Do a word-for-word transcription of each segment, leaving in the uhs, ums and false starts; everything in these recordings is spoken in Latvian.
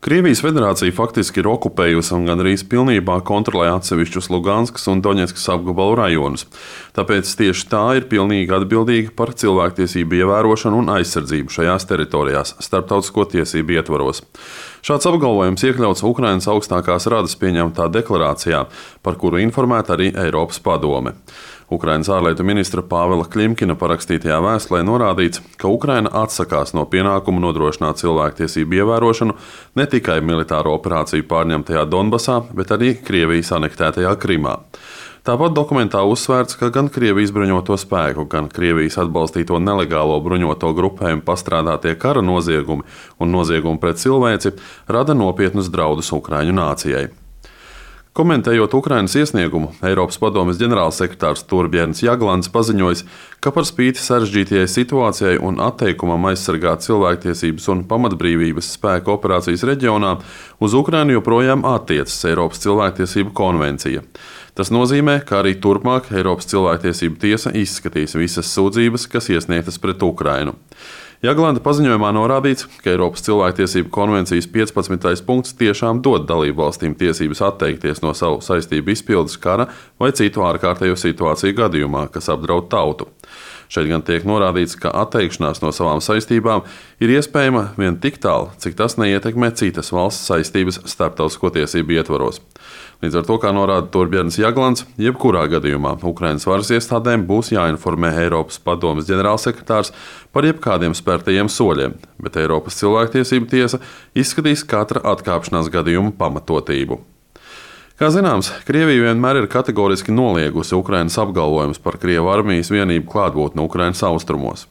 Krievijas federācija faktiski ir okupējusi un gandrīz pilnībā kontrolē atsevišķus Luganskas un Doņetskas apgabalu rajonus. Tāpēc tieši tā ir pilnīgi atbildīga par cilvēktiesību ievērošanu un aizsardzību šajās teritorijās starptautisko tiesību ietvaros. Šāds apgalvojums iekļauts Ukrainas augstākās radas pieņemtā deklarācijā, par kuru informēta arī Eiropas padome. Ukrainas ārlietu ministra Pāvela Kļimkina parakstītajā vēstulē norādīts, ka Ukraina atsakās no pienākumu nodrošināt cilvēktiesību ievērošanu ne tikai militāro operāciju pārņemtajā Donbasā, bet arī Krievijas anektētajā Krimā. Tāpat dokumentā uzsvērts, ka gan Krievijas bruņoto spēku, gan Krievijas atbalstīto nelegālo bruņoto grupējumu pastrādātie kara noziegumi un noziegumi pret cilvēci rada nopietnus draudus Ukraiņu nācijai. Komentējot Ukrainas iesniegumu, Eiropas padomes ģenerālsekretārs Torbjērns Jaglands paziņojis, ka par spīti sarežģītajai situācijai un atteikumam aizsargāt cilvēktiesības un pamatbrīvības spēku operācijas reģionā, uz Ukrainu joprojām attiecas Eiropas cilvēktiesību konvencija. Tas nozīmē, ka arī turpmāk Eiropas cilvēktiesību tiesa izskatīs visas sūdzības, kas iesniegtas pret Ukrainu. Jaglanda paziņojumā norādīts, ka Eiropas cilvēktiesību konvencijas piecpadsmitais punkts tiešām dod dalību valstīm tiesības atteikties no savu saistību izpildes kara vai citu ārkārtējo situāciju gadījumā, kas apdraud tautu. Šeit gan tiek norādīts, ka atteikšanās no savām saistībām ir iespējama vien tik tālu, cik tas neietekmē citas valsts saistības starptautisko tiesību ietvaros. Līdz ar to, kā norāda Torbjērns Jaglands, jebkurā gadījumā Ukrainas varas iestādēm būs jāinformē Eiropas padomes ģenerālsekretārs par jebkādiem spērtajiem soļiem, bet Eiropas cilvēktiesību tiesa izskatīs katra atkāpšanās gadījuma pamatotību. Kā zināms, Krievija vienmēr ir kategoriski noliegusi Ukrainas apgalvojumus par Krievu armijas vienību klātbūtni Ukrainas austrumos.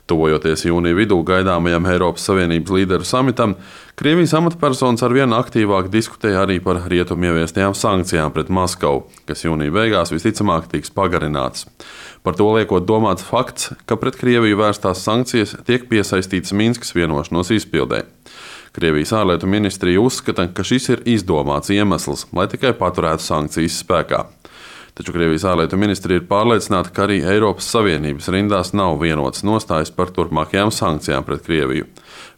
Tuvojoties jūnija vidū gaidāmajam Eiropas Savienības līderu samitam, Krievijas amatpersonas arvien aktīvāk diskutēja arī par rietumu ieviestajām sankcijām pret Maskavu, kas jūnija beigās visticamāk tiks pagarinātas. Par to liekot domāts fakts, ka pret Krieviju vērstās sankcijas tiek piesaistītas Minskas vienošanos izpildē. Krievijas ārlietu ministrija uzskata, ka šis ir izdomāts iemesls, lai tikai paturētu sankcijas spēkā. Taču Krievijas ārlietu ministrija ir pārliecināta, ka arī Eiropas Savienības rindās nav vienotas nostājas par turpmākajām sankcijām pret Krieviju.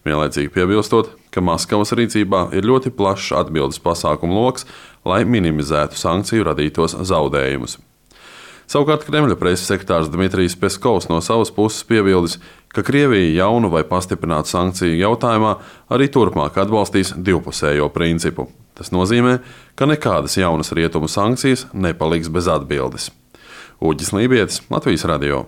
Vienlaicīgi piebilstot, ka Maskavas rīcībā ir ļoti plašs atbildes pasākumu loks, lai minimizētu sankciju radītos zaudējumus. Savukārt Kremļa preses sekretārs Dmitrijs Peskovs no savas puses piebildis, ka Krievija jaunu vai pastiprinātu sankciju jautājumā arī turpmāk atbalstīs divpusējo principu. Tas nozīmē, ka nekādas jaunas rietumu sankcijas nepaliks bez atbildes. Uģis Lībietis, Latvijas radio.